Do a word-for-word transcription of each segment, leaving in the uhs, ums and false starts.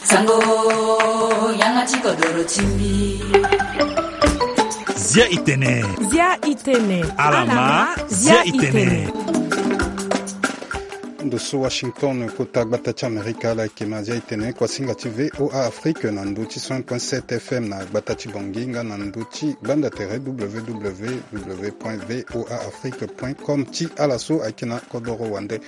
Sango, yanga ti kodoro ti mbi. Zia i tene. Zia i tene. Alama, zia i tene. Ndo so Washington, kota gbata ti Amerika, ala yeke ma zia i tene kuasinga ti V O A Afrique na ndo ti cent point sept F M na gbata ti Bangui nga na ndo ti gbanda tere W W W point V O A Afrique point com ti ala so ayeke na kodoro wande.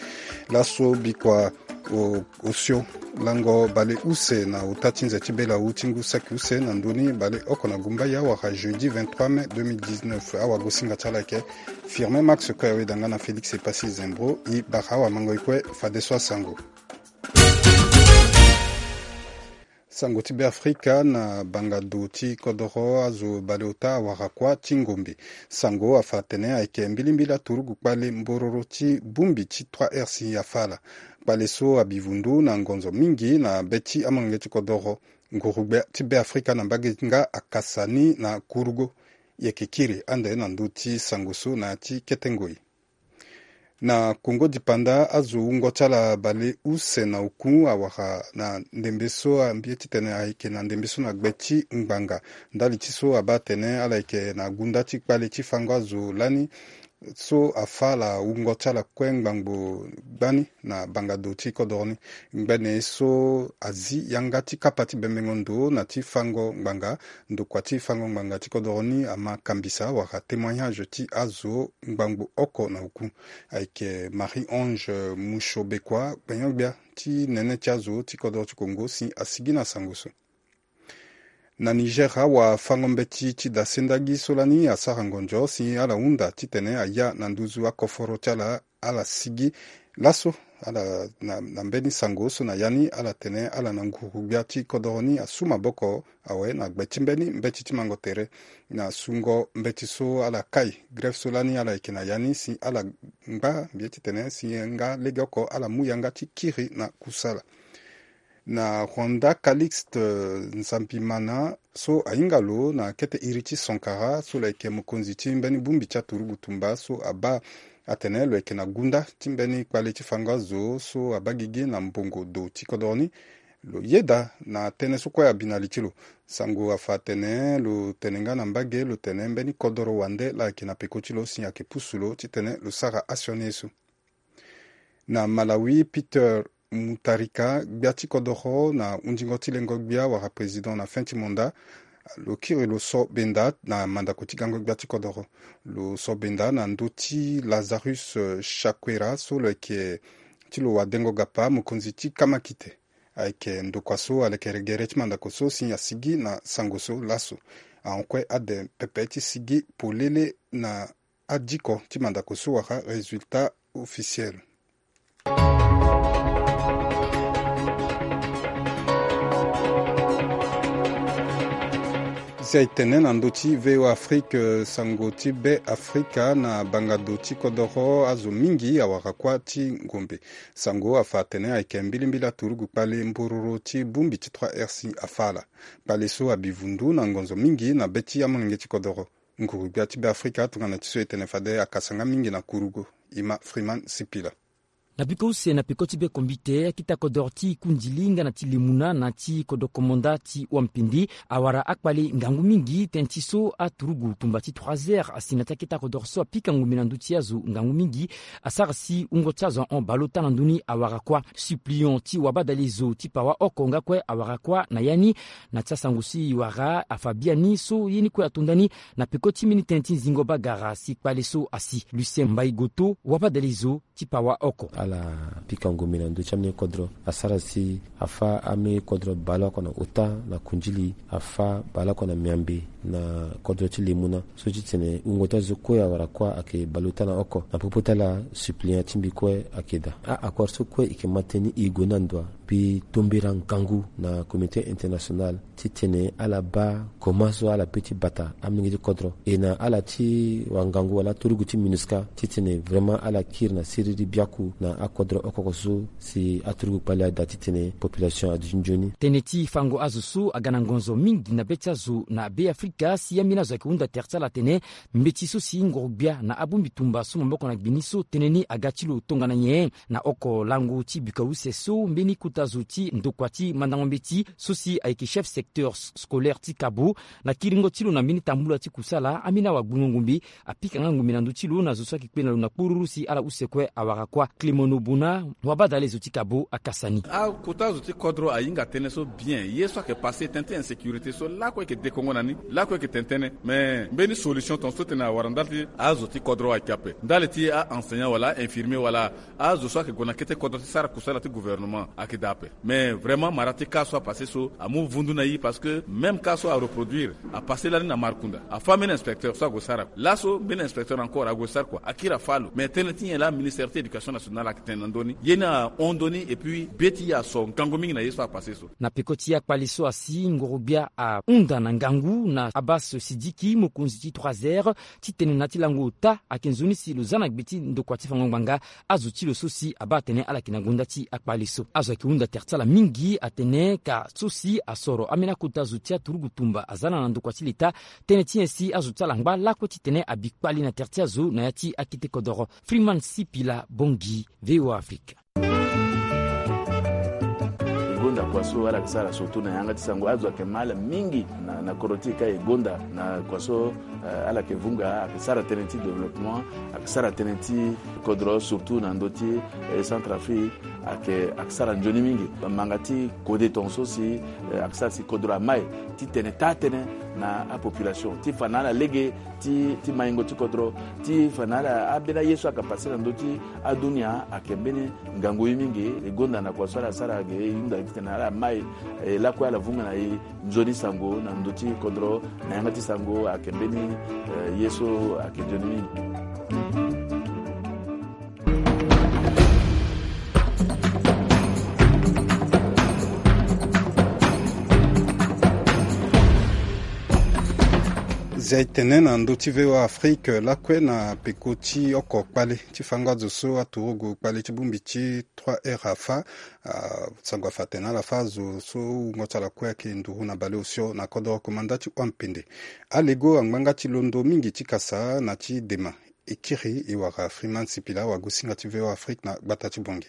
Laso bikua o, osio lango baleuse na ota ti nze ti belawu ti ngu saki use na ndoni baleoko na gumbaya wala jeudi vingt-trois mai deux mille dix-neuf. Awagosinga ti ala ayeke Firmin Max kue, aweda nga na Félix Epassi Zembro. E bara awamango e kue fadeso asango. Sango ti Beafrika na bangado ti kodoro azo baleota awara kuâ ti ngombe. Sango afa atene ayeke mbilimbili aturugu kpale mbororo ti bongbi ti trois R si afa ala. Kpale so abi vundu na ngonzo mingi na be ti amolenge ti kodoro. Ngurugbia ti Beafrika na mbage nga akasa ni na kurugo. E yeke kiri ande na ndö ti sango so na ya ti kete ngoi. Na Kongo dipanda, azo wungo ti ala baleuse na oku awara na ndembe so, ambie titene ayeke na ndembe so na gbe ti ngbanga. Ndali ti so abaa atene ala yeke na gunda ti kpale ti fango azo lani so afa ala wungo ti ala kue ngbangbo gbani na bangado ti kodoro ni. Ngbene so azi yanga ti kapa ti bembengo ndo na ti fango ngbanga, ndokua ti fango ngbanga ti kodoro ni ama kambisa wala témoignage ti azo ngbangbo oko na oku. Ayeke Marie-Ange Mushobekua, gbenyo-gbia ti nene ti azo ti kodoro ti Kongo si asigi na sango so. Na Niger, awafango-mbeti ti dasendagi so lani asara ngonzo si ala hunda titene aya na nduzu akoforo ti ala, ala sigi laso. Ala na, na mbeni sango so na ya ni ala tene ala na ngurugbia ti kodoro ni asu maboko awe na gbe ti mbeni mbeti ti mango tere na sungo mbeti so ala kai grève so lani ala yeke na ya ni si ala ngba mbi ye titene si nga legeoko ala mu yanga ti kiri na kusala. Na Rwanda, Calixte Nzambimana so ahinga lo na kete iri ti Sankara so lo yeke mokonzi ti mbeni bongbi ti aturugu tumba so abaa atene lo yeke na gunda ti mbeni kpale ti fango azo so abaa gigi na mbongo do ti kodoro ni. Lo yeda na tënë so kue abi na li ti lo. Sango afa atene lo tene nga na mbage lo tene mbeni kodoro wande laa ayeke na peko ti lo si ayeke pusu lo titene lo sara asioni ye so. Na Malawi, Peter Mutharika, gbia ti kodoro na hundingo ti lengo gbia wala président na fin ti mandat, lo kiri lo so benda na mandako ti gango gbia ti kodoro. Lo so benda na ndö ti Lazarus, eh, Chakwera so lo yeke ti lo wadengo gapa mokonzi ti kamakite. Ayeke ndokua so alekere gere ti mandako so si asigi na sango so laso. Ahon kue ade pepe ti sigi polele na adiko ti mandako so wala résultat officiel. Si aye tene na ndö ti V O A Afrique, sango ti Be Afrika na bangado ti kodoro azo mingi awara kuâ ti ngombe. Sango afa atene ayeke mbilimbili aturugu kpale mbororo ti bongbi ti trois R si afa ala. Kpale so abi vundu na ngonzo mingi na be ti amolenge ti kodoro. Ngurugbia ti Be Afrika tongana ti so e tene fade akasa nga mingi na kurugo. Ima Freeman Sipila. Na peko use na peko ti be kombite, akita kodoro ti kundili nga na ti lemuna na ti kodro komanda ti wampindi awara akpale ngangu mingi tënë ti so aturugu tumba ti trois heures asi na ti akita kodoro so apika ngombe na ndö ti azo ngangu mingi. Asara si wungo ti azo ahon baleota na ndö ni awara kuâ. Suppliant ti wabadalezo ti pawa oko nga kue awara kuâ na ya ni. Na ti asango so e wara afa biani so ye ni kue ato nda ni na peko ti mbeni tënë ti nzingo bagara si kpale so asi. Lucien Mbaye Goto, wabadalezo ti pawa oko. Ala pika ngombe na ndö ti ambeni kodro asara si afa ambeni kodro baleoko na ota na kundili, afa baleoko na miambe na kodro ti lemuna. So ti tene wungo ti azo kue awara kuâ ayeke baleota na oko. Na popo ti ala, suppliant ti mbi kue ayeke daa. A-accord so kue e yeke ma tënë ni e gue ni na ndo wa. Mbi tombera ngangu na Communauté internationale titene ala baa koma so ala pe ti bata amolenge ti kodro. E na ala ti wangangu wala aturugu ti MINUSCA titene vraiment ala kiri na siriri biaku na akodro oko oko so si aturugu kpale ada titene population aduti nzoni. Tënë ti fango azo so aga na ngonzo mingi na be ti azo na Be Afrika. Ka si ambeni azo ayeke hunda tere ti ala atene mbeti so si ngoro-gbia na abongbi tumba so maboko na gbe ni so tënë ni aga ti lo tongana nyen? Na oko lango ti bika use so mbeni kota zo ti ndokua ti mandango mbeti so si ayeke chef secteur scolaire ti Kabo, na kiringo ti lo na mbeni tambula ti kusala, ambeni awagbungo ngombe apika nga ngombe na ndö ti lo na zo so ayeke kpe na lo na kporuru si ala use kue awara kuâ. Clément Nobuna, wabadale zo ti Kabo, akasa ni. Akota zo ti kodro ahinga tënë so bien. Ye so ayeke passe tënë ti insécurité so lakue ayeke dekongo na ni, lakue ayeke tene tënë. Mais mbeni solution tongaso tene awara ndali ti azo ti kodro ayeke ape. Ndali ti a-enseignant wala a-infirmier wala azo so ayeke gue na kete kodro ti sara kusala ti gouvernement ayeke daa ape. Mais vraiment mara ti cas so apasse so amu vundu na e parce que même cas so areproduire, apasse lani na Markunda. Afâ mbeni inspecteur so ague sara kua. Laso mbeni inspecteur encore ague sara kua, akiri afâ lo. Mais tënë ti nyen laa ministère ti éducation nationale ayeke tene na ndö ni? Ye ni ahon ndö ni et puis be ti e aso ngangu mingi na ye so apasse so. Na peko ti akpali so asi ngoro-gbia ahunda na ngangu na Abbas Sidiki, mokonzi ti trois R, titene na ya ti lango ota ayeke nzoni si lo za na gbe ti ndokua ti fango ngbanga azo ti lo so si abaa atene ala yeke na gonda ti akpali so. Azo ayeke hunda tere ti ala mingi atene ka so si asoro ambeni akota zo ti aturugu tumba aza na na ndokua ti leta, tënë ti nyen si azo ti ala ngba lakue titene abi kpali na tere ti azo na ya ti akete kodoro. Freeman Sipila Bongi, V O A Afrique. E gonda kua so ala yeke sara surtout na yanga ti sango, azo ayeke ma ala mingi na, na kodro ti e ka e gonda na kua so, eh, ala yeke vunga, ayeke sara tënë ti développement, ayeke sara tënë ti kodro surtout na ndö ti, eh, Centrafrique, ayeke, ayeke sara nzoni mingi. Manga ti kode tongaso si, eh, ayeke sara si kodro amai titene taa tënë na apopulation ti fa na ala lege ti, ti maingo ti kodro, ti fa na ala ambeni aye so ayeke passe na ndö ti adunia ayeke mbeni ngangu ye mingi. E gonda na kua so ala sara ge e hunda titene ala mai, eh, lakue ala vunga na e nzoni sango na ndö ti kodro na yanga ti sango ayeke mbeni, eh, ye so ayeke nzoni mingi. Zia e tene na ndö ti V O A Afrique lakue na peko ti oko kpale ti fango azo so aturugu kpale ti bongbi ti trois R afâ, ah, sango afa atene ala fâ azo so wungo ti ala kue ayeke nduru na baleosio na kodro komanda ti Wampende. Alego angbanga ti londo mingi ti kasa na ti dema. E kiri e wara Freeman Sipila, wagosinga ti V O A Afrique na gbata ti Bongi.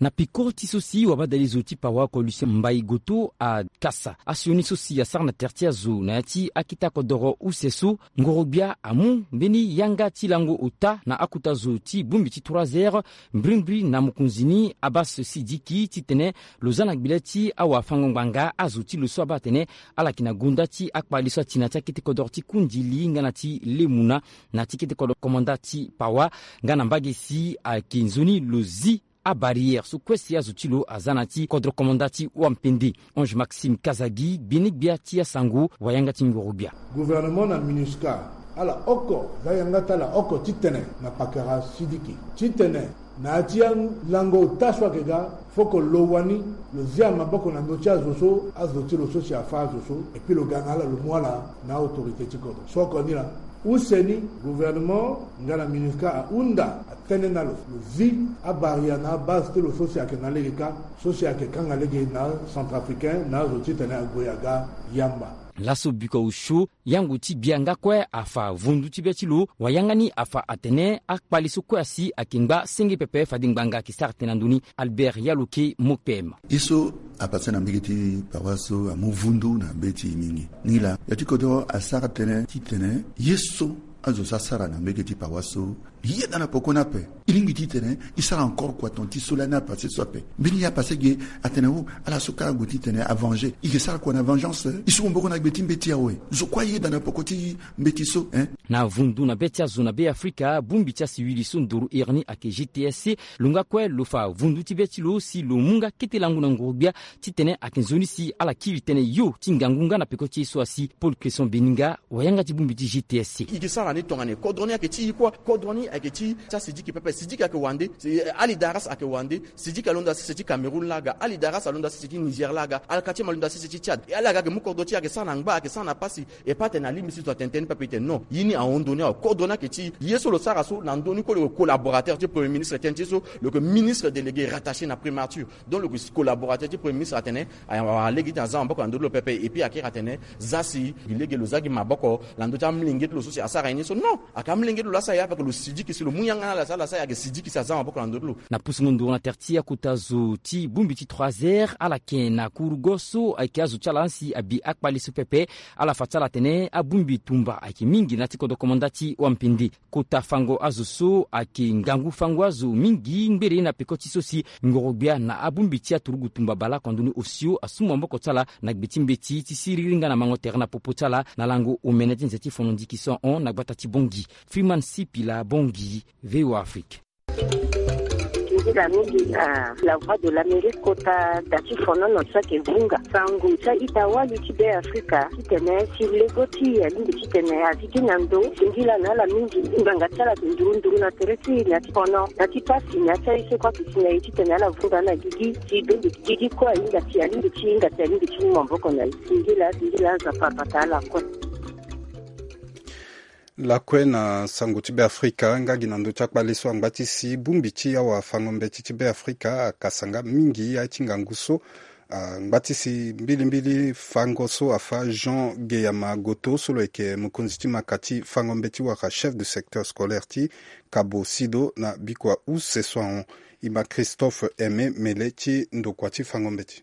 Na peko ti so si wabadale zo ti Pawa oko Lucien Mbaye Goto akasa asioni so si asara na tere ti azo na ya ti akete kodoro use so, ngoro-gbia amu mbeni yanga ti lango ota na akota zo ti bongbi ti trois R, mbrimbri na mokonzi ni Abbas Sidiki, titene lo za na gbele ti awafango-ngbanga azo ti lo so abaa atene ala yeke na gonda ti akpali so ati na ya ti akete kodoro ti Kundili nga na ti Lemuna, na ya ti kete kodoro komanda ti Pawa, nga na mbage si ayeke nzoni lo zi abarrière so kue si azo ti lo aza na ya ti kodro komanda ti Wampende. Ange Maxime Kazagi, gbene-gbia ti asango, wayanga ti ngoro-gbia. Gouvernement na MINUSCA, ala oko za yanga ti ala oko titene na pakara Sidiki titene na ya ti alango ota so ayeke ga, foko lo wani lo zia maboko na ndö ti azo so, azo ti lo so si afâ azo so, et puis lo ga na ala lo mu ala na autorité ti kodro. So oko ni laa, use ni gouvernement nga na MINUSCA ahunda atene na lo, lo zi abarrière na abase ti lo so si ayeke na lege kâ, so si ayeke kanga lege na Centrafricain na azo titene ague aga yamba. Laso biko osio, yango ti gbia nga kue afa vundu ti be ti lo, wayanga ni afa atene akpali so kue asi ayeke ngba senge pepe fade ngbanga ayeke sara tënë na ndö ni. Albert Yaloke, Mopem. Ye so apasse na mbage ti Pawa so amu vundu na be ti e mingi. Nilaa, ya ti kodro asara tënë titene ye so azo so asara na mbage ti Pawa so, yeda na poko ni ape. E lingbi titene e sara encore kua ton ti so lani apasse so ape. Mbeni ye apasse ge atene o, ala so kâ ague titene avenger. E ke sara kua na vengeance? E su maboko na gbe ti mbeti awe. Zo kue ayeda na poko ti mbeti so, hein? Na vundu na be ti azo na Be Afrika, bongbi ti asiwili so ndoro iri ni ayeke G T S C, lo nga kue lo fa vundu ti be ti lo si lo mu nga kete lango na ngoro-gbia titene ayeke nzoni si ala kiri tënë yo ti ngangu nga na peko ti ye so asi. Paul Cresson Beninga, wayanga ti bongbi ti G T S C. E ke sara ni tongana nyen? Kodro ni ayeke ti e kue, kodro ni Ayeke ti ti asidiki pepe, sidiki ayeke wande. Si, eh, ali daras ayeke wande. Sidiki alondo asese ti Cameroun laa ga, ali daras alondo asese ti Niger laa ga, alkati ma alondo asese ti Tchad. E ala ga ayeke mu kodro ti e ayeke sara na ngba, ayeke sara na pasi. E pa atene alingbi si zo atene tënë ni pepe, e tene non, ye ni ahon ndö ni awe, kodro ni ayeke ti e. Ye so lo sara so na ndö ni kue lo yeke collaborateur ti premier ministre, tënë ti e so lo yeke ministre délégué rattaché na primature. Donc lo yeke collaborateur ti premier ministre atene, awara lege ti tene aza maboko na ndö ti lo pepe. Et puis akiri atene, za si gi lege lo za gi maboko na ndö ti amolenge ti lo so si asara ye ni so, non. Ayeke amolenge ti lo laa asara ye, afeke lo sidiki si lo mu yanga na ala si ala sara ye, ayeke sidiki si aza maboko na ndö ti lo. Na pusungo nduru na tere ti akota zo ti bongbi ti trois heures, ala yeke na kurugo so ayeke azo ti ala si abi akpale so pepe. Ala fa ti ala atene abongbi tumba ayeke mingi na ya ti kodro komanda ti wampende. Kota fango azo so ayeke ngangu fango azo mingi ngbere na peko ti so si ngoro-gbia na abongbi ti aturugu tumba baleoko na ndoni osio asu maboko ti ala na gbe ti mbeti ti siriri nga na mango tere na popo ti ala na lango omene ti nze ti fono ndiki so ahon na gbata ti Bangui. Freeman Sipila, Bangui, V O A Afrique. Nzila mingi na La Voix de l'Amérique, kota da ti fonono so ayeke vunga sango ti a-ita wali ti Be Afrika titene si lego ti e alingbi titene azi gi na ndo. Singila na ala mingi, ngbanga ti ala ayeke nduru nduru na tere ti e na ya ti fono, na ya ti pasi, na ya ti aye so kue ayeke si na e titene ala vunga na gigi si e bengbi gigi kue ahinga ti e, alingbi ti e hinga si e alingbi ti mu maboko na e. Singila, singila, Nzapa abata ala kue. Lakue na sango ti Beafrika, nga gi na ndö ti akpale so angba ti si bongbi ti awafango-mbeti ti Beafrika akasa nga mingi aye ti ngangu so angba ti si mbilimbili fango so afa Jean Geyama Goto so lo yeke mokonzi ti maka ti fango-mbeti wala chef de secteur scolaire ti Kabo Sido na bikua use so ahon. E ma Christophe Aimé Mele ti ndokua ti fango-mbeti.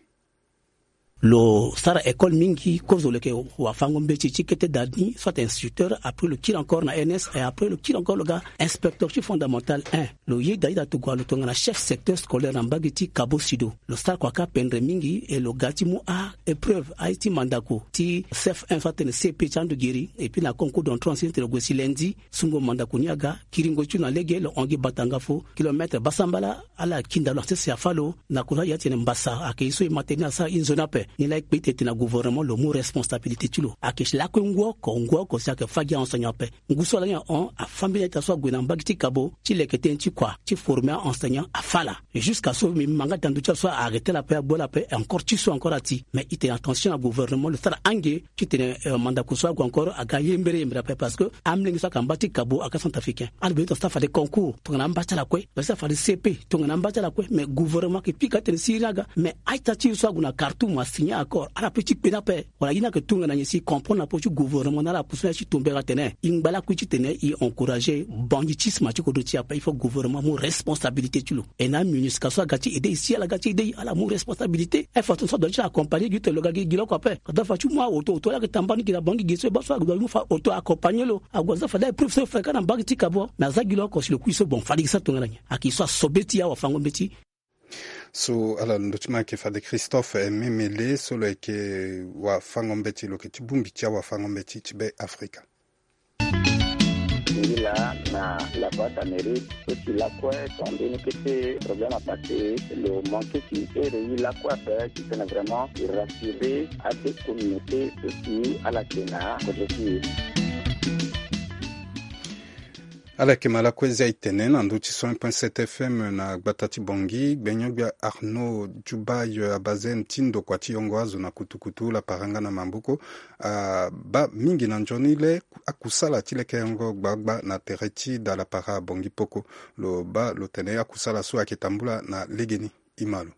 Lo sara école mingi, kozo lo yeke wafango-mbeti ti kete da ni, soit instituteur, après lo kiri encore na E N S, et après lo kiri encore lo ga inspecteur ti fondamental un. Lo yeda yeda tongana lo tongana chef secteur scolaire na mbage ti Kabo Sido. Lo sara kua kâ pendre mingi, et lo ga ti mu a-épreuve, aye ti mandako ti C F un, soit atene C P ti ando giri, et puis na concours d'entrée en sixième ti lo gue si lundi, sungo mandako ni aga, kiringo ti lo na lege, lo hon gi bata nga fo, kilomètre basambala, ala kinda lo na sese afâ lo, na kota ya ti tene mbasa ayeke ye so e ma tene ni asara e nzoni ape. Ni laa e kpe ti tene na gouvernement lo mu responsabilité ti lo. Ayeke lakue ngu oko, ngu oko si ayeke fâ gi a-enseignant ape. Ngu so ala ni ahon, afâ mbeni a-ita so ague na mbage ti Kabo ti leke tënë ti kua ti former a-enseignant afâ ala. Jusqu'à so mbi ma nga ti na ndö ti ala so a-arrêté ala ape, agbu ala ape, encore ti so encore ati. Mais e tene attention na gouvernement lo sara ange, ti tene, euh, mandako so ague encore aga yembere yembere ape, parce que amolenge so ayeke na mba ti Kabo ayeke acentrafricain. Ala bino tongana so afade concours tongana amba ti ala kue, tongana so afade C P tongana amba ti ala kue, mais gouvernement ayeke pika tene siriri aga. Mais a-ita ti e so ague na Khartoum asigné accord, ala peut ti kpe ni ape. Wala ye ni ayeke tongana nyen si e comprendre na popo ti gouvernement na ala apusu na ya ti tombera tene e ngba lakui ti tene e encourager banditisme ti kodro ti e ape. Il faut gouvernement amu responsabilité ti lo. E na MINUSCA so aga ti aidé e si ala ga ti aidé e, ala mu responsabilité. E façon so adua ti ala accompagner gi ti lo ga gi gi lo oko ape. Adua fa ti mu aoto, oto ala yeke tambani gi na bangi gi so e baa so adua mu fa oto accompagner lo. Ague aza fade épreuve so e fa e ka na mbage ti Kabo. Mais aza gi lo oko si lo kui so bon fade gi sara tongana nyen? Ayeke so asobe ti e awafango-mbeti. So ala lo ndö ti ma ayeke fade Christophe Aimé Mele so lo yeke wafango-mbeti, lo yeke ti bongbi ti awafango-mbeti ti Be Afrika. Singila na La Voix d'Amérique so si lakue so ambeni kete problème apassé, lo manqué ti ere ye lakue ape ti tene vraiment e rassurer ade communauté so si ala yeke na kodro ti e. Ala yeke ma lakue zia e tene na ndö ti cent un point sept F M na gbata ti Bangui, gbenyo-gbia Arnaud Djoubaye Abazem ti ndokua ti yongo azo na kutukutu lapara nga na maboko. Abaa mingi na nzoni le akusala ti lekerengo gbagba na tere ti da lapara Bangui Poko. Lo baa lo tene akusala so ayeke tambula na legeni. E ma lo.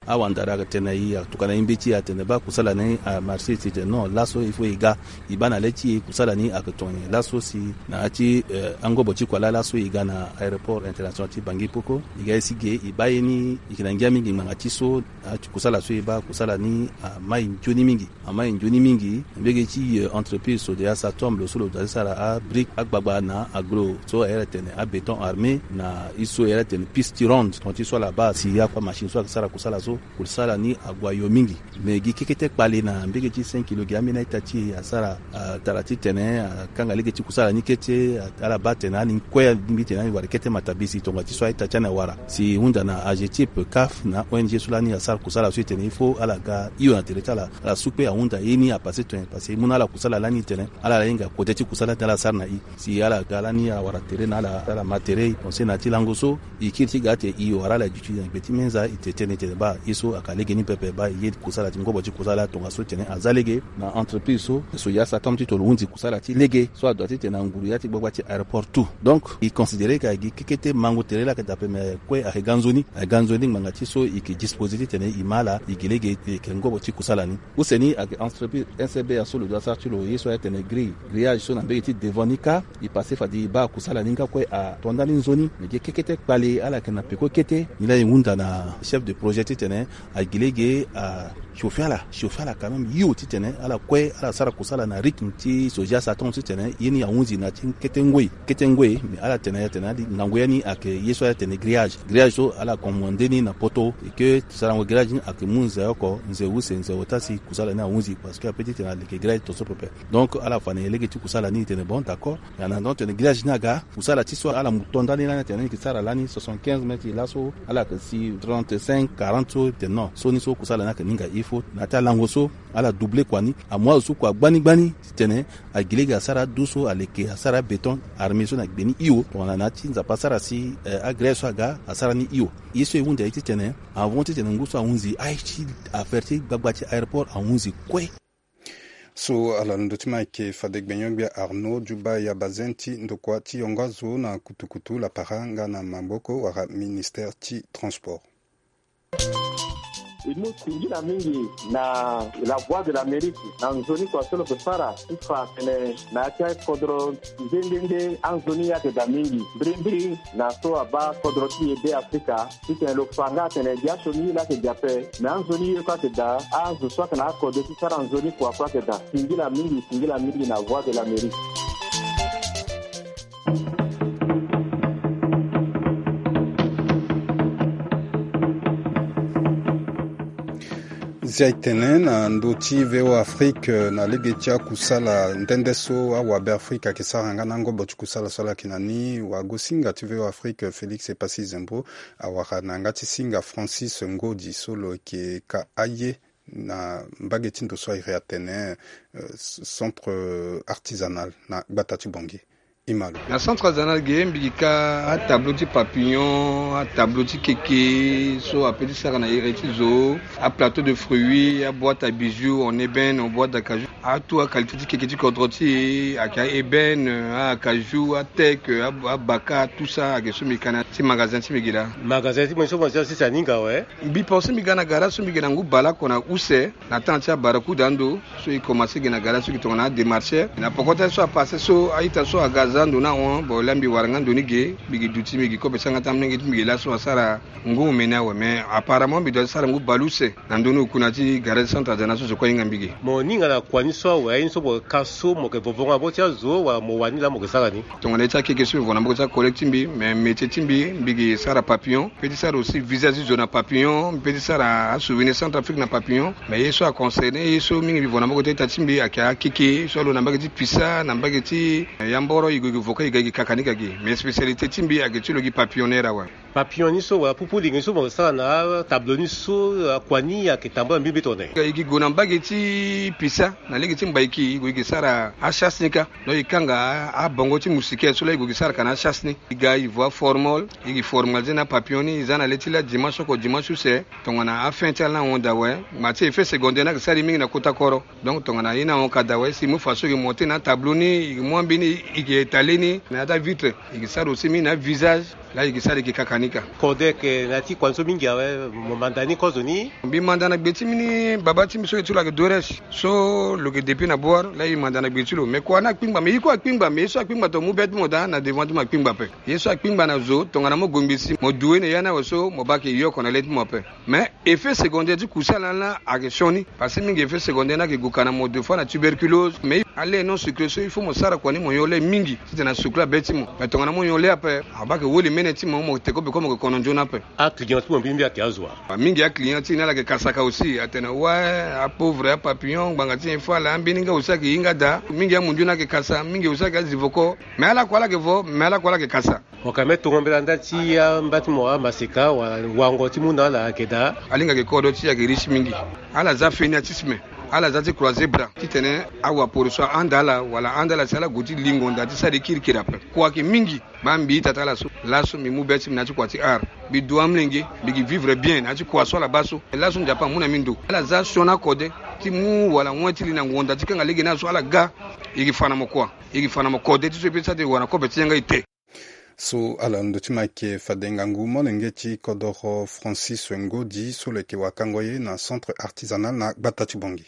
Awandara atene na e, atokua na e mbeti atene baa kusala ni amarché, si tene non, laso il faut e ga. E baa na le ti e kusala ni ayeke tongana nyen. Laso si na ya ti, eh, angobo ti kua laa, laso e ga na aéroport international ti Bangui Poko, e ga ye si ge, e baa ye ni, e yeke na ngia mingi ngbanga ti so, na ya ti kusala so e baa, kusala ni amai nzoni mingi. Amai nzoni mingi, mbege ti, eh, entreprise so de ya Satom, lo so lo dua ti sara abrique, agbagba na aglo so ayere atene abéton armé, na ye so ayere atene piste tirante, tongana ti so ala baa si akua machine so ayeke sara kusala so. Kusala ni ague ayo mingi. Me gi kekete kpale na mbege ti cinq kilo gi ambeni a-ita ti e asara, atara titene akanga lege ti kusala ni kete. Ala baa atene ani kue, ambeni titene ani wara kete matabisi tonga ti so a-ita ti ani awara. Si e hunda na AGETIP, CAF na O N G so lani asara kusala so e tene il faut ala ga hio na tere ti ala, ala su kue ahunda ye ni apasse tene, parce que e mu na ala kusala lani tene ala hinga kode ti kusala ti ala sara na e. Si ala ga lani awara tere na ala, ala ma tere, e pense na ya ti lango so e kiri ti ga ate e wara ala duti na gbe ti meza. E tene tene baa ye so ayeke lege ni pepe, baa e ye kusala ti ngobo ti kusala tongaso tene aza lege na entreprise so, so ya sa tonga ti tolo hunzi kusala ti lege so adoit titene anguru ya ti gbagba ti aéroport tout. Donc e considérer que ayeke gi kekete mango tere laa ayeke daa ape, mais kue ayeke ga nzoni, ayeke ga nzoni ngbanga ti so e yeke disposer titene e ma ala e yeke lege, e yeke ngobo ti kusala ni. Use ni ayeke entreprise N C B A so lo doit sara ti lo ye so ayeke tene grille, grillage so na mbege ti devant ni kâ. E passe fade e baa kusala ni nga kue ato ndani nzoni. Me gi kekete kpale ala yeke na peko kete. Nilaa e hunda na chef de projet titene ayeke lege achauffer ala, chauffer ala quand même hio titene ala kue ala sara kusala na rythme ti so ya sa tonga titene ye ni ahunzi na ya ti kete ngoi, kete ngoi. Me ala tene ya tene ngangu ya ni ayeke ye so ala tene grillage. Grillage so ala commande ni na poto, e ke sarango grillage ni ayeke mu nze oko, nze use, nze ota si kusala ni ahunzi, parce que ape titene aleke grillage tongaso pepe. Donc ala fa na e lege ti kusala ni, e tene bon, d'accord. Nana donc tene grillage ni aga, kusala ti so ala mu to ndani lani atene ni yeke sara lani soixante-quinze mètres, laso ala yeke si trente-cinq, quarante so, e tene non, so ni so kusala ni ayeke ni nga il faut na ya ti alango so ala doubler kua ni. Amu azo so kua gbani gbani titene agi lege asara adu so aleke asara béton armé so na gbe ni hio. Tongana na ya ti Nzapa asara si, eh, agrès so aga asara ni hio. Ye so e hunda ye titene avant titene ngu so ahunzi aye ti affaire ti gbagba ti aéroport ahunzi kue. So ala na ndö ti ma ayeke fade gbenyo-gbia Arnaud Djouba Yabazin ti ndokua ti yongo azo na kutukutu lapara nga na maboko wala ministère ti transport. E mu singila mingi na La Voix de l'Amérique na nzoni kua so lo yeke sara ti fa atene na ya ti akodro nde nde nde anzoni ayeke daa mingi mbirimbiri na so abaa kodro ti e Be Afrika. Titene lo fa nga atene gi asioni ye laa ayeke gi ape, me anzoni ye kue ayeke daa, azo so ayeke na akode ti sara nzoni kua kue ayeke daa. Singila mingi, singila mingi na Voix de l'Amérique. Zia e tene na ndö ti V O A Afrique, na lege ti akusala nde nde so awabe Afrika ayeke sara nga na ngobo ti kusala so ala yeke na ni, wagosinga ti V O A Afrique Félix Epassi Zembro awara na yanga ti singa Francis Ngodi so lo yeke ka aye na mbage ti ndo so a iri atene, eh, centre artisanal na gbata ti Bangui. Imalo. Na centre artisanal ge mbi gi ka atableau ti papillon, atableau ti keke so ape ti sara na ere ti zo, aplateau de fruits, aboîte à bijoux en ébène, en boîte d'acajou. Atout aqualité ti keke ti kodro ti e ayeke a-ébène, a-acajou, ateke, a- abaka, tout ça ayeke so mbi ka na ti magasin ti mbi ge laa. Magasin ti mbi so mo ti asisi aninga awe. Mbi pense mbi ga na gara so mbi ge na ngu baleoko na use na temps ti abarakuda ando so e commencé ge na gara so e tongana adémarcheur. Na poko ti aye so apassé so a-ita so aga aza ando ni ahon, bon laa mbi wara nga ndo ni ge, mbi gi duti mbi gi kobe ti yanga ti amolenge ti mbi ge laso asara ngu omene awe. Mais apparemment mbi doit ti sara ngu baleuse na ndö ni oku na ya ti gara ti centre artisanal so zo kue ahinga mbi ge. Mo ninga na kua ni so awe, aye ni so mo ka so mo yeke vovo nga na maboko ti azo wala mo wani laa mo yeke sara ni? Tongana ye ti akeke so mbi vo na maboko ti acollègue ti mbi, mais métier ti mbi, mbi gi sara papillon. Mbi peut ti sara aussi visage ti zo na papillon, mbi peut ti sara asouvenir Centrafrique na papillon. Mais ye so aconcerné, ye so mingi mbi vo na maboko ti a-ita ti mbi ayeke akeke so alo na mbage ti pisa, na mbage ti, eh, yamboro, e gue e gi vo kue e ga e gi kakanika ge. Mais spécialité ti mbi ayeke ti lo gi papillonneur awe. Papillon ni so wala pupu lingi ni so mo sara na atableau ni so, akua ni ayeke tambula mbi mbi tongana nyen? E gi gue na mbage ti pisa na lege ti mbaiki, e gue e gi sara achasse ni kâ. Donc e kanga abongo ti moustiquaire so laa e gue e gi sara ka na achasse ni. E ga e vo aformol, e gi formaliser na apapillon ni, e za na le ti laa dimanche oko dimanche use. Tongana afin ti ala ni ahon daa awe, ma ti effet secondaire ni ayeke sara e mingi na kota koro. Donc tongana ye ni ahon ka daa awe, si e mu faso e gi monter na atableau ni, e gi mu ambeni, e gi étaler ni na ya ti avitre, e gi sara aussi mingi na avisage. Laa e gi sara e gi kakanika. Kode ayeke na ya ti kua ni so mingi awe, mo manda ni kozo ni? Mbi manda na gbe ti mbi ni, baba ti mbi so e ti lo ayeke Doresh so lo yeke depuis na Bouar, laa e manda na gbe ti lo. Mais kua ni akpingba, mais ye kue akpingba, mais ye so akpingba tongana mu be ti mo daa na devant ti mo akpingba ape. Ye so akpingba na zo tongana mo gongbi si mo du ye na ya ni awe so mo baa ayeke ye oko na le ti mo ape. Mais effet secondaire ti kusala ni laa ayeke sioni. Parce que mingi effet secondaire ni ayeke gue ka na mo deux fois na tuberculose. Mais Alait non sucré so il faut mo sara kua ni mo nyon lait mingi titene asucre abê ti mo. Mais tongana mo nyon lait ape, abaa ke woli mene ti mo, mo te ko beko mo ke kono nzoni ape. Aclient ti mo mbi mbi ayeke azo wa? Mingi aclient ti ni ala yeke kasaka aussi, atene ouais, apauvre, apapillon, ngbanga ti nyen fâ ala, ambeni nga aussi ayeke hinga daa. Mingi amundu ni ayeke kasa, mingi aussi ayeke azivoko. Mais ala kue ala yeke vo, mais ala kue ala yeke kasa. Mo ka me tongo mbela nda ti amba ti mo amaseka wala wango ti mu na ala ayeke daa. Alingbi ayeke kodro ti e ayeke riche mingi. Ala za fainéantisme. Ala za ti croiser bras titene awaporo so ahunda ala wala ahunda ala si ala gue ti lingo nda ti sara ye kirikiri ape. Kua ayeke mingi. Baa mbi ita ti ala so, laso mbi mu be ti mbi na ya ti kua ti art. Mbi du amolenge, mbi gi vivre bien na ya ti kua so ala baa so. Laso Nzapa amu na mbi ndo. Ala za sioni akode ti mu wala wen ti li na ngonda ti kanga lege ni azo so ala ga. E gi fa na mo kua. E gi fa na mo kode ti so e peut ti sara ti wara na kobe ti yanga ete. So ala ndo ti mo ayeke fade ngangu molenge ti kodoro Francis Ngodi so lo yeke wakango ye na centre artisanal na gbata ti Bangui.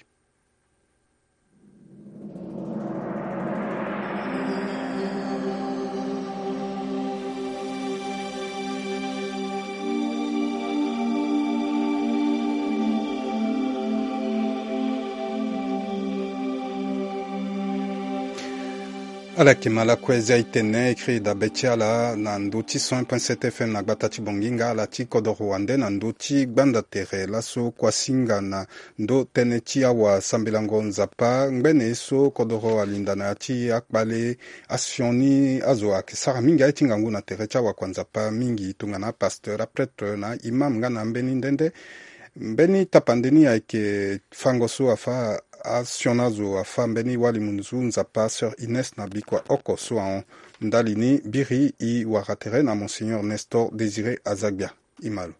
Ala yeke ma lakue zia e tene e kiri dabe ti ala na ndö ti cent un point sept F M na gbata ti Bangui nga ala ti kodoro wande na ndö ti gbanda tere laso kuasinga na ndö tënë ti awasambelango Nzapa ngbene ye so kodoro alinda na ya ti akpale asioni azo ayeke sara mingi aye ti ngangu na tere ti awakua Nzapa mingi tongana apasteur, aprêtre na imam nga na ambeni nde nde. Mbeni tapande ni ayeke fango so afâ asioni azo afâ mbeni wali munzu Nzapa sœur Inès na bikua oko so ahon. Ndali ni biri e wara tere na Monseigneur Nestor Désiré Azagbia. E ma lo.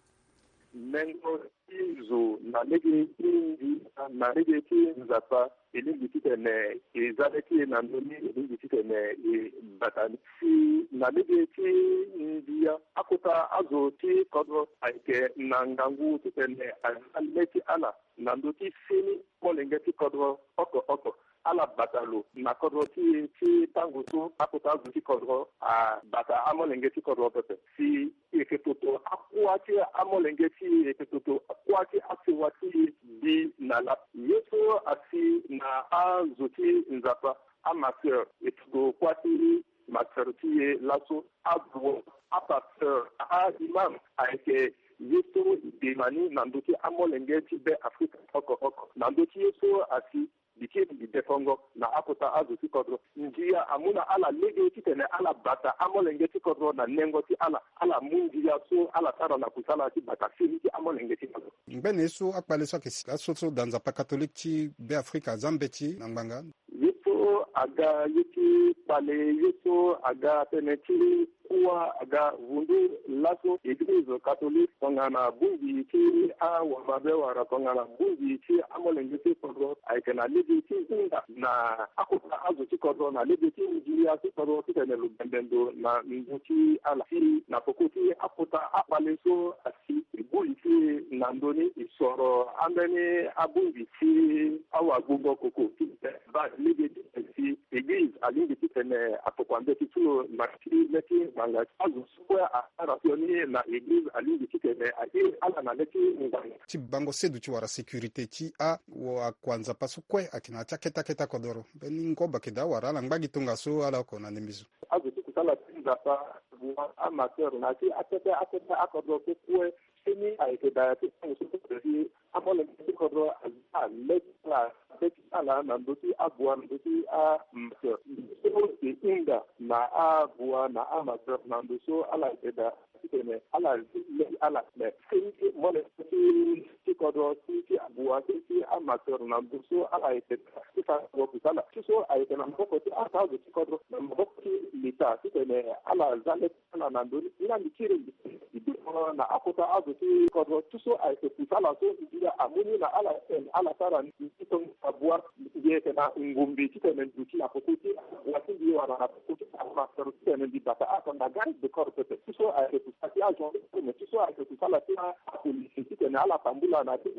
Nengo ti zo na lege ti ndia na lege ti Nzapa e lingbi titene e za le ti e na ndö ni, e lingbi titene e bata ni. Si na lege ti ndia, akota azo ti kodro ayeke na ngangu titene aza le ti ala na ndö ti seni molenge ti kodro oko oko. Ala bata lo na kodro ti e ti tango so akota azo ti kodro abata amolenge ti kodro pepe. Si e yeke toto akua ti amolenge ti e, e yeke toto akua ti asewa ti e bi na laa. Ye so asi na azo ti Nzapa, amaseur, e toto kua ti maseur ti e laso, abua, apasteur, a-imam, ayeke ye so e dema ni na ndö ti amolenge ti Be Afrika oko oko. Na ndö ti ye so asi, mbi kiri mbi defongo na akota azo ti kodro. Ndia amu na ala lege titene ala bata amolenge ti kodro na nengo ti ala. Ala mu ndia so ala sara na kusala ti bata fini ti amolenge ti kodro. Ngbene ye so akpale so ayeke si laso so da Nzapa katolike ti Be Afrika aza mbeti na ngbanga. Ye so aga ye ti kpale, ye so aga tënë ti kuâ aga vundu laso. Eglize katolike tongana bongbi ti awamabe wala tongana bongbi ti amolenge ti kodro ayeke na lege ti hinga na akota azo ti kodro na lege ti ndia ti kodro titene lo bembe ndo na ngu ti ala. Si na peko ti akota akpale so asi, e gbu li ti e na ndö ni, e soro ambeni abongbi ti awagbongo koko ti baa lege ti si eglize alingbi titene atokua mbeti ti lo na ti le ti ngbanga. Azo so kue asara sioni na eglize alingbi titene a iri ala na le ti ngbanga. Ti bango sedu ti wara sécurité ti awakua Nzapa so kue ayeke na ya ti akete akete akodoro. Mbeni ngobo ayeke daa wala ala ngba gi tongaso ala oko na ndembe zo. Azo ti kusala ti Nzapa, abua, amaseur na ya ti akete akete akodoro so kue. Seni ayeke daa ya ti tango so kue si amolenge ti kodro aza le ti ala, le ti ala na ndö ti abua na ndö ti amaseur. Ndö so e hinga na abua na amaseur na ndö so ala yeke daa titene ala le ti ala. Me seni molenge ti, ti kodro, ti, ti abua, ti, ti amaseur na ndö so ala yeke daa ti fa kodro kusala. Ti so ayeke na maboko ti ata azo ti kodro, na maboko ti leta titene ala za le ti ala na ndö ni. Nga mbi kiri mbi, mbi bino na akota azo ti kodro ti so ayeke kusala so ndia amu ni na ala titene ala sara ni. Mbi tongo abua, mbi yeke na ngumbi titene mbi duti na peko ti abua ti mbi wala na peko ti amaseur titene mbi bata akanga garde de corps pepe. Ti so ayeke kusala ti agendarme, ti so ayeke kusala ti apolisi titene ala tambula na ti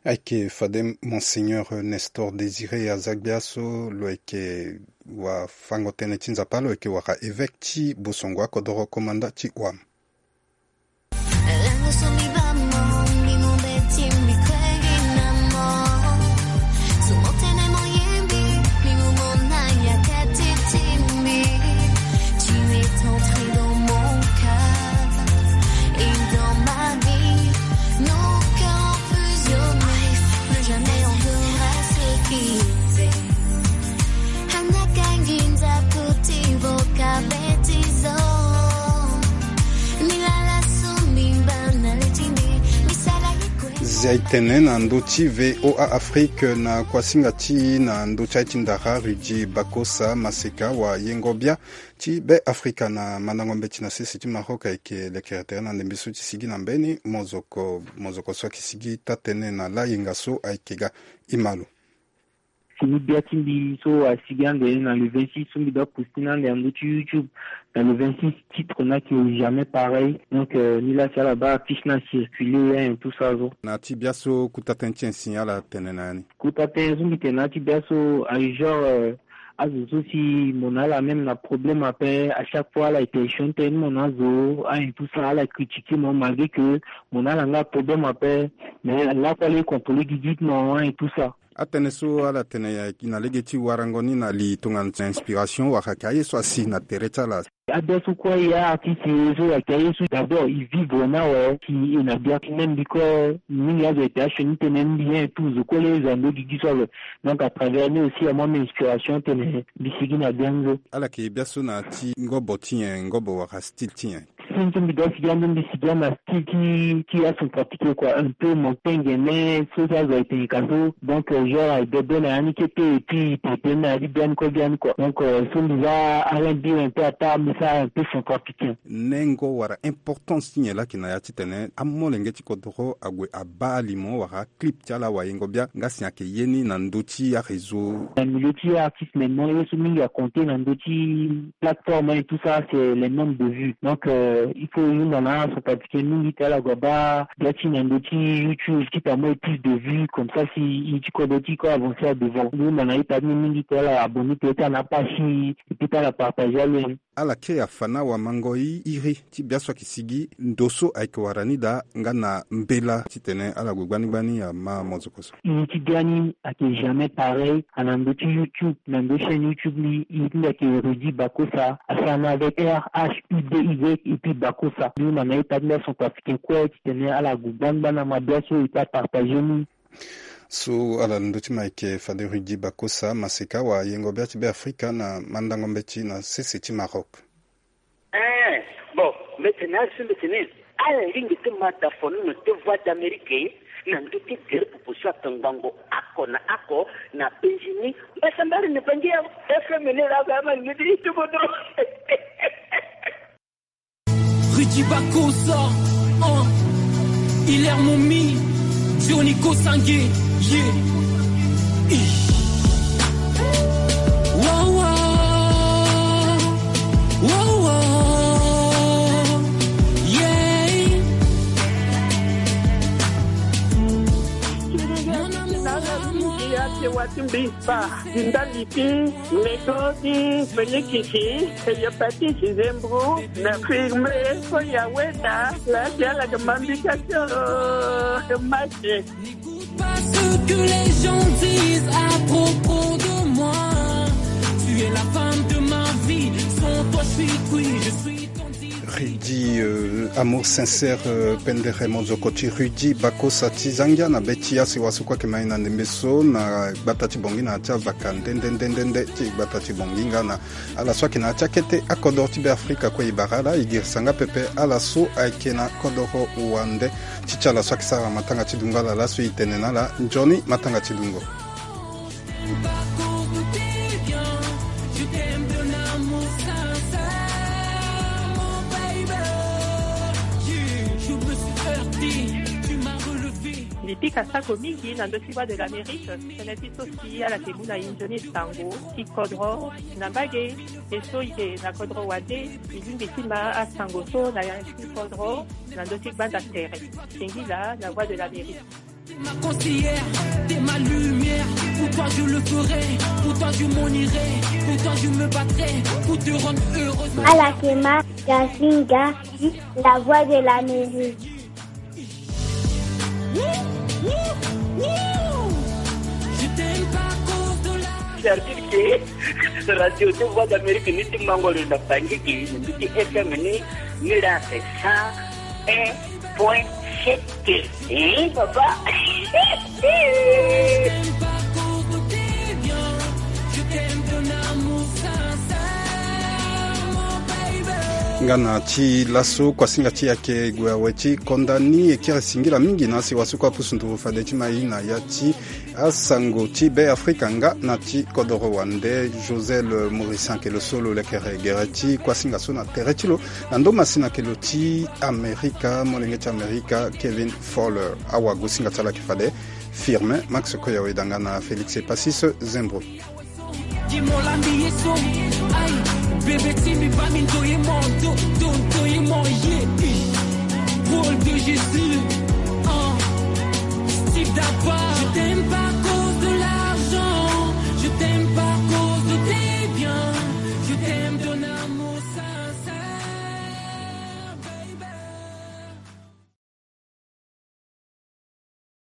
Ayeke fade Monseigneur Nestor Désiré Azagbia so lo yeke wafango-tënë ti Nzapa, lo yeke wara évêque ti Bosongo akodoro komanda ti Ouham. Lango so mbi baa mo, mbi mu mbeti mbi kue gi na mo. So mo tene mo yembi, Zia itene na ndö ti V O A Afrique na kuasinga ti na ndö ti aye ti ndara Rudy Bakosa Maseka wa yengo bia ti Be Afrika na mandango mbeti na sese ti Maroc ayeke lekere tere na ndembe so ti sigi na mbeni mozoko, mozoko so ayeke sigi taa-tënë na layenga so ayeke ga. Imalo. Fini bia ti mbi so asigi ande na le vingt-six so mbi doit poster na ande na ndö ti YouTube. Na le vingt-six, titre ni ayeke jamais pareil. Donc, euh, ni la si ala baa affiche ni acirculer, hein, tout ça so. Na ti bia so kota tënë ti nyen si ala tene na ya ni? Kota tënë so mbi tene na ya ti bia so aye genre, euh, azo so si mo na ala même na problème ape, à chaque fois ala yeke sioni tënë ti mo na azo, hein, tout ça, ala critiquer mo malgré que mo na ala nga problème ape. Mais lakue ala ye contrôler gigi ti mo, hein, tout ça. Atënë so ala tene ya na lege ti warango ni na li tongana inspiration wala ayeke aye so asi na tere ti ala? Abia so kue, ya artiste ye so ayeke aye so d'abord e vivre ni awe si e na bia ti même biko mingi azo ayeke asioni tënë ni mbi, hein, tout zo kue le zo ando gigi so awe. Donc à travers ni aussi amu inspiration tene mbi sigi na bia ni so. Ala yeke bia so na ti ngobo ti nyen, ngobo wala style ti nyen? Style so mbi doit sigi ande mbi sigi ande na style ti, ti acentrafricain quoi, un peu montagne, mais so si azo ayeke tene ka so. Donc, euh, genre aye bebe na ya ni kete et puis pepe na ya ti bia ni kue bia ni quoi. Donc, euh, so mbi za R and B un peu ataa mbi sara un peu centrafricain. Nengo wala importance ti nyen laa ayeke na ya titene amolenge ti kodoro ague abaa alimo wala clip ti ala wayengo bia nga si ayeke ye ni na ndö ti aréseau? Na milieu ti artiste maintenant, ye so mingi aconte na ndö ti plateforme et tout ça, c'est les nombres de vues. Donc, euh, il faut hunda na acentrafricain mingi ti ala gue abaa bia ti na ndö ti YouTube, quitte à moi plus de vues, comme ça si ye ti kodro ti e kue avancer à devant. Hunda na ita ti ni mingi ti ala abonner peut-être na page ti e, et puis ti ala partager alo. Ala kiri afa na wamango iri ti bia so ayeke sigi ndo so ayeke wara ni daa nga na mbela titene ala gue gbani gbani ama mozoko so. Iri ti bia ni ayeke jamais pareil. A na ndö ti YouTube, na ndö chaîne YouTube ni, iri ti mbi ayeke Rudy Bakosa, asara ni avec R H U D Y et puis Bakosa. Mbi hunda na ita ti mbi acentrafricain kue titene ala gue gbani gbani ama bia so et puis apartager ni. So ala na ndö ti ma ayeke fade Rudy Bakosa Maseka wayengo bia ti Be Afrika na mandango mbeti na sese ti Maroc. Eh, bon, mbeti na azo so mbeti ni. Ala lingbi ti ma da fono na te Voix d'Amérique na ndö ti gere popo so atongbango oko na oko na penzi ni. Mbasambari ni bangi ya F M ni la ga ma ni ti bodo. Rudy Bakosa, hein. Hilaire Momi, Johnny Kosange, yeah. Ih. Wow, wow. Wow, wow. Yeah. Mon amour, mon amour. Ti mbi pa, ti ndali ti, nego ti, pelikisi, hepatite, zembro, na firme, ko ya weda, la ti ala ke mambika tio, ke mache. N'écoute pas ce que les gens disent à propos de moi. Tu es la femme de ma vie, sans toi je suis cuit, je suis Rudy, euh, amour sincère, euh, pendere mozoko ti Rudy Bakosa ti zangia na be ti asewa so kue ayeke ma e na ndembe so na gbata ti Bangui na ya ti avaka nde nde nde nde nde ti gbata ti Bangui nga na ala so ayeke na ya ti akete akodoro ti Be Afrika kue e bara ala, e girisa nga pepe ala so ayeke na kodoro wande. Ti ti ala so ayeke sara matanga ti dungo ala laso e tene na ala nzoni matanga ti dungo. Mbi pika sako mingi na ndö ti Voix de l'Amérique, tënë ti so si ala yeke mu na e nzoni sango ti kodro na mbage. E so e yeke na kodro wande, e lingbi ti ma asango so na ya ti kodro na ndö ti gbanda tere. Singila na Voix de l'Amérique. T'es ma conseillère, t'es ma lumière. Pour toi je le ferai, pour toi je m'en irai, pour toi je me battrai, pour te rendre heureuse. Ala yeke ma Gazinga, la Voix de l'Amérique. Je t'aime pas à cause de la. C'est-à-dire que radio ti Voix d'Amérique ni ti mango lo na Bangui, ni ti F M ni, ni la c'est cent un point sept. Hein, papa? Nga na ti laso kuasinga ti yake gue awe ti konda ni e kiri singila mingi na asi wasukua pusu nduru fade ti mai na ya ti asango ti Be Afrika nga na ti kodoro wande. Josel Morissin ayeke lo so lo lekere gere ti kuasinga so na tere ti lo na ndo masina ayeke lo ti Amerika, molenge ti Amerika Kevin Fowler. Awagosinga ti ala ayeke fade Firmin Max Koya Wedanga na Félix Epasis Zembro. Di mo lambi ye so, aïe, bébé ti mbi ba mi ndo ye mo, ndo, ndo, ndo ye mo, yeah, eh. Rôle de Jésus, hein. Steve Dapa.